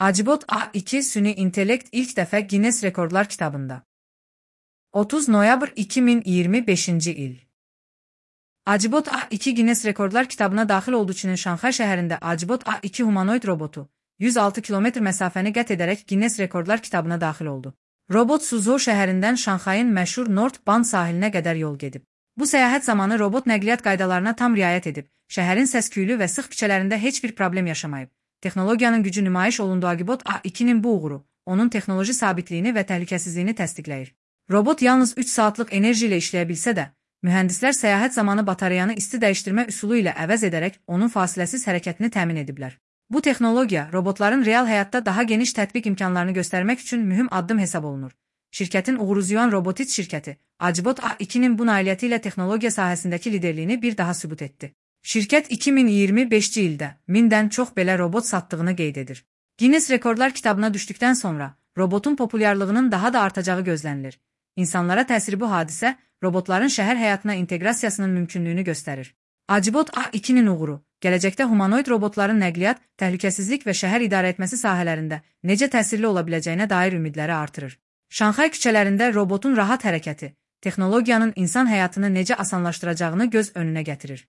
Acibot A2 süni intellekt ilk dəfə Guinness Rekorlar kitabında. 30 noyabr 2025-ci il. Acibot A2 Guinness Rekorlar kitabına daxil olduğu üçün Şanxay şəhərində Acibot A2 humanoid robotu 106 kilometr məsafəni qət edərək Guinness Rekorlar kitabına daxil oldu. Robot Suzhou şəhərindən Şanxayın məşhur North Bund sahilinə qədər yol gedib. Bu səyahət zamanı robot nəqliyyat qaydalarına tam riayət edib, şəhərin səs-küylü və sıx küçələrində heç bir problem yaşamayıb. Texnologiyanın gücü nümayiş olunduğu Acibot A2-nin bu uğuru, onun texnoloji sabitliyini və təhlükəsizliyini təsdiqləyir. Robot yalnız 3 saatlıq enerji ilə işləyə bilsə də, mühəndislər səyahət zamanı batareyanı isti dəyişdirmə üsulu ilə əvəz edərək onun fasiləsiz hərəkətini təmin ediblər. Bu texnologiya, robotların real həyatda daha geniş tətbiq imkanlarını göstərmək üçün mühüm addım hesab olunur. Şirkətin uğuruzyayan robotik şirkəti, Acibot A2-nin bu nailiyyəti ilə texnologiya sahəsindəki liderliyini bir daha sübut etdi. Şirkət 2025-ci ildə 1000-dən çox belə robot satdığını qeyd edir. Guinness Rekorlar kitabına düşdükdən sonra robotun populyarlığının daha da artacağı gözlənilir. İnsanlara təsiri bu hadisə, robotların şəhər həyatına inteqrasiyasının mümkünlüyünü göstərir. Acibot A2-nin uğuru, gələcəkdə humanoid robotların nəqliyyat, təhlükəsizlik və şəhər idarə etməsi sahələrində necə təsirli ola biləcəyinə dair ümidləri artırır. Şanxay küçələrində robotun rahat hərəkəti, texnologiyanın insan həyatını necə asanlaşdıracağını göz önünə gətirir.